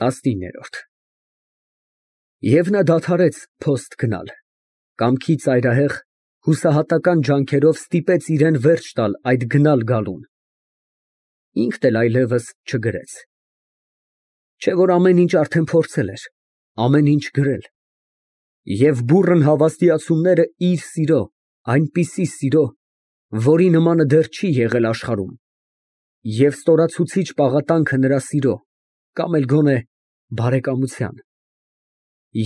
19։ Եվ նա դադարեց փոստ գնալ, կամքի ծայրահեղ, հուսահատական ջանքերով ստիպեց իրան վերջ տալ այդ գնալ գալուն, ինքն էլ այլևս չգրեց, չէ որ ամեն ինչ արդեն փորձել էր, ամեն ինչ գրել, և բուռն հավաստիացումները իր սիրո, այնպիսի սիրո, որի նմանը դեռ չի եղել աշխարհում, և ստորացուցիչ պաղատանքը նրա սիրո, կամ էլ գոնե բարեկամության,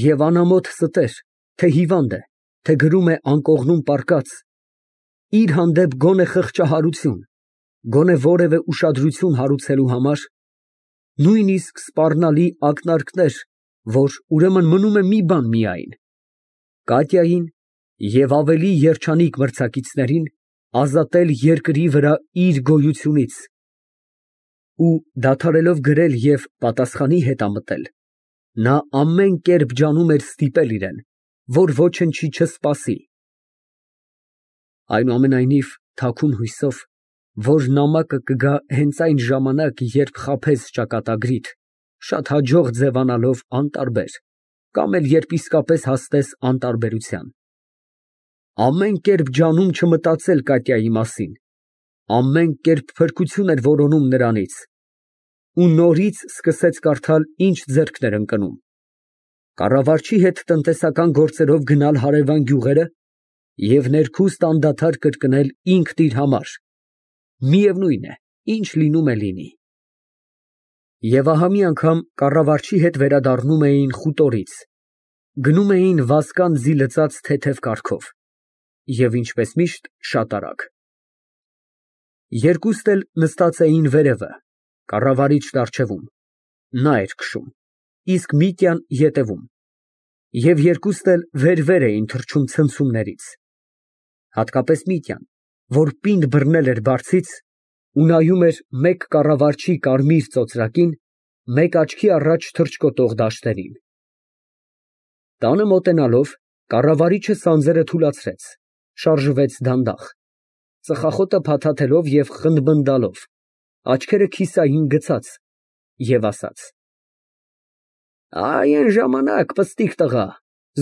և անամոթ ստեր, թե հիվանդ է, թե գրում է անկողնում պառկած, իր հանդեպ գոնե խղճահարություն, գոնե որևէ ուշադրություն հարուցելու համար, նույնիսկ սպառնալի ակնարկներ, որ ուրեմն մնում է մի բան միայն, Կատյային և ավելի երջանիկ մրցակիցներին ազատել երկրի վրա իր գոյությունից, ու դադարելով գրել և պատասխանի հետամտել, նա ամեն կերպ ջանում էր ստիպել իրան, որ ոչնչի չսպասի, այնուամենայնիվ թաքուն հույսով, որ նամակը կգա հենց այն ժամանակ, երբ խաբես ճակատագրիդ, շատ հաջող ձևանալով անտարբեր, կամ էլ երբ իսկապես հասնես անտարբերության, ամեն կերպ ջանում չմտածել Կատյայի մասին, ամեն կերպ փրկություն էր որոնում նրանից, ու նորից սկսեց կարդալ, ինչ ձեռքն էր ընկնում, կառավարչի հետ տնտեսական գործերով գնալ հարևան գյուղերը և ներքուստ անդադար կրկնել ինքն իր համար, միևնույն է, ինչ լինում է լինի, և ահա մի անգամ կառավարչի հետ վերադառնում էին խուտորից, գնում էին վազկան ձի լծած թեթև կառքով, և ինչպես միշտ շատ արագ, երկուստ էլ նստած էին վերևը, կառավարիչն առջևում, նա էր քշում, իսկ Միտյան ետևում, և երկուստ էլ վեր էին թռչում ցնցումներից, հատկապես Միտյան, որ պինդ բռնել էր բարձից ու նայում էր մեկ կառավարչի կարմիր ծոծրակին, մեկ աչքի առաջ թռչկոտող դաշտերին, տանը մոտենալով, կառավարիչը սանձերը թուլացրեց, շարժվեց դանդաղ, ծխախոտը փաթաթելով և խնբնդալով, աչքերը քիսային գցած, և ասաց. «Այն ժամանակ, պստիկ տղա,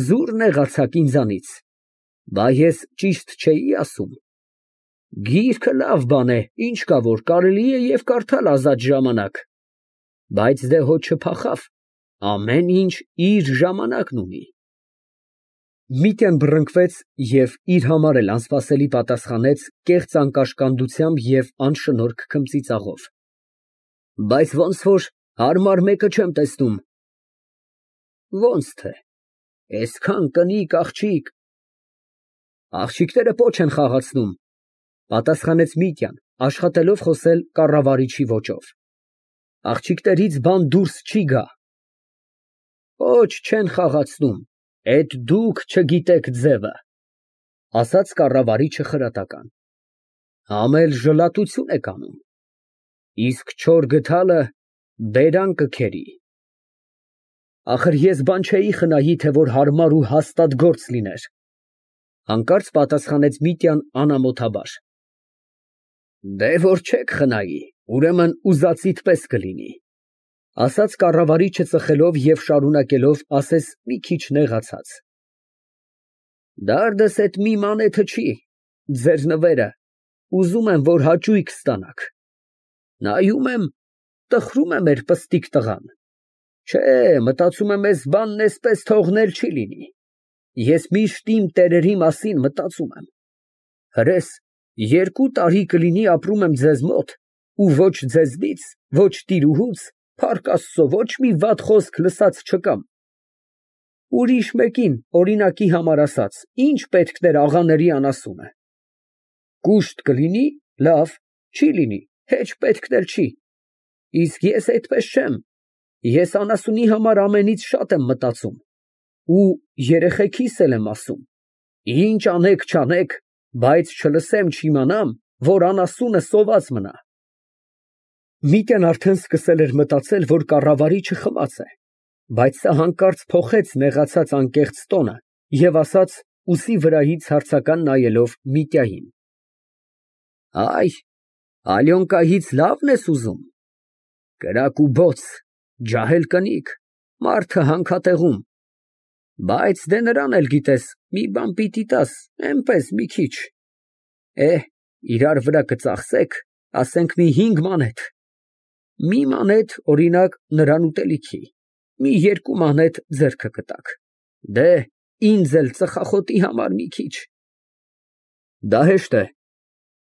զուր նեղացաք ինձանից, բա ես ճիշտ չէի ասում, գիրքը լավ բան է, ինչ կա որ կարելի է և կարդալ ազատ ժամանակ, բայց դե հո չփախավ, ամեն ինչ իր ժամանակն ունի»։ Միտյան բռնկվեց և իր համար էլ անսպասելի պատասխանեց կեղծ անկաշկանդությամբ և անշնորհք քմծիծաղով. Բայց ոնց որ հարմար մեկը չեմ տեսնում։ Ոնց թե, այսքան կնիկ աղջիկ։ Աղջիկները պոչ են խաղացնում, պատասխանեց Միտյան, աշխատելով խոսել կառավարիչի ոճով։ Աղջիկներից բան դուրս չի գա։ Պոչ չեն խաղացնում, էդ դուք չգիտեք ձևը, ասաց կառավարիչը խրատական, համ էլ ժլատություն եք անում, իսկ չոր գդալը բերան կքերի։ Ախր ես բան չէի խնայի, թե որ հարմար ու հաստատ գործ լիներ, հանկարծ պատասխանեց Միտյան անամոթաբար։ Դե որ չեք խնայի, ուրեմն ուզածիդ պես կլինի, ասաց կառավարիչը ծխելով և շարունակելով ասես մի քիչ նեղացած։ Դարդս էդ մի մանեթը չի, ձեր նվերը, ուզում եմ, որ հաճույք ստանաք, նայում եմ, տխրում է մեր պստիկ տղան, չէ, մտածում եմ էս բանն էսպես թողնել չի լինի, ես միշտ իմ տերերի մասին մտածում եմ, հրես 2 տարի կլինի ապրում եմ ձեզ մոտ ու ոչ ձեզնից, ոչ տիրուհուց, փառք Աստծո, ոչ մի վատ խոսք լսած չկամ, ուրիշ մեկին, օրինակի համար ասած, ինչ պետքն էր աղաների անասունը, կուշտ կլինի, լավ, չի լինի, հեչ պետքն էլ չի, իսկ ես այդպես չեմ, ես անասունի համար ամենից շատ եմ մտածում ու երեխեքիս էլ եմ ասում, ինչ անեք չանեք, բայց չլսեմ չիմանամ, որ անասունը սոված մնա։ Միտյան արդեն սկսել էր մտածել, որ կառավարիչը խմած է, բայց սա հանկարծ փոխեց նեղացած անկեղծ տոնը և ասաց ուսի վրայից հարցական նայելով Միտյային. Այ, Ալյոնկայից լավն ես ուզում, կրակ ու բոց, ջահել կնիկ, մարդը հանքատեղում։ Բայց դե նրան էլ գիտես, մի բան պիտի տաս, էնպես մի քիչ։ Իրար վրա կծախսեք, ասենք մի 5 մանեթ։ Մի մանեթ, օրինակ, նրան ուտելիքի, մի 2 մանեթ ձեռքը կտաք։ Դե, ինձ էլ ծխախոտի համար մի քիչ։ Դա հեշտ է,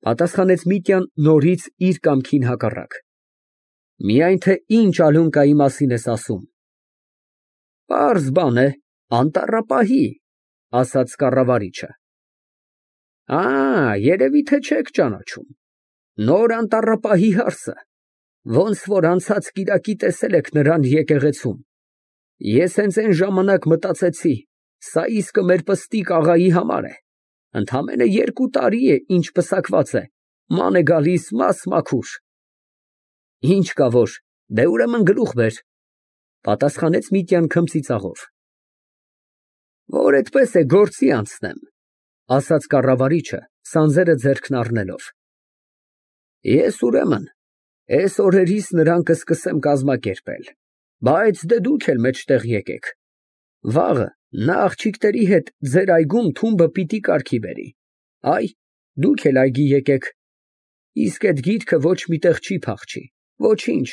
պատասխանեց Միտյան նորից իր կամքին հակառակ։ Միայն թե ինչ ալյունկայի մասին ես ասում։ Պարզ բան է, անտառապահի, ասաց կառավարիչը։ Երևի թե չեք ճանաչում։ Նոր անտառապահի հարսը, ոնց որ անցած կիրակի տեսել եք նրան եկեղեցում։ Ես հենց այն ժամանակ մտածեցի, սա իսկը մեր պստիկ աղայի համար է։ Ընդամենը 2 տարի է, ինչ պսակված է, ման է գալիս մաս-մաքուր։ Ինչ կա որ, դե ուրեմն գլուխ բեր, պատասխանեց Միտյան քմծիծաղով։ Որ այդպես է գործի անցնեմ, ասաց կառավարիչը, սանձերը ձեռքն առնելով։ Ես ուրեմն այս օրերիս նրան կսկսեմ կազմակերպել, բայց դե դուք էլ մեջտեղ եկեք։ Վաղը նա աղջիկների հետ ձեր այգում թումբը պիտի կարգի բերի։ Դուք էլ այգի եկեք։ Իսկ այդ գիրքը ոչ միտեղ չի փախչի, ոչինչ,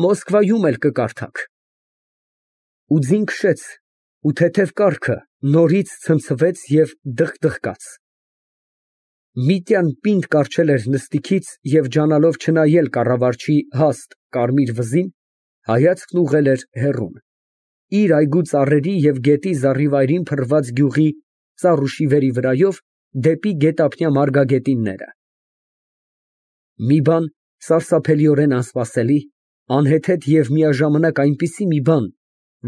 Մոսկվայում էլ կկարդաք։ Ու ձին քշեց, ու թեթև կառքը նորից ցնցվեց և դղկաց։ Միտյան պինդ կառչել էր նստիքից և ջանալով չնայել կառավարչի հաստ կարմիր վզին, հայացքն ուղղել էր հեռուն, իր այգու ծառերի և գետի զառիվայրին փռված գյուղի ծառուշիվերի վրայով դեպի գետափնյա մարգագետինները։ Մի բան սարսափելիորեն անսպասելի, անհեթեթ և միաժամանակ այնպիսի մի բան,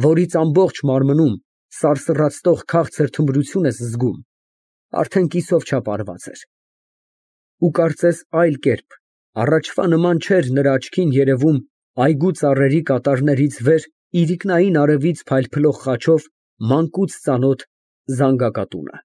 որից ամբողջ մարմնում սարսռացնող քաղցր թմրություն ես զգում, արդեն կիսով չափ արված էր։ Ու կարծես այլ կերպ, առաջվա նման չէր նրա աչքին երևում այգու ծառերի կատարներից վեր իրիկնային արևից փայլփլող խաչով մանկուց ծանոթ զանգակատունը։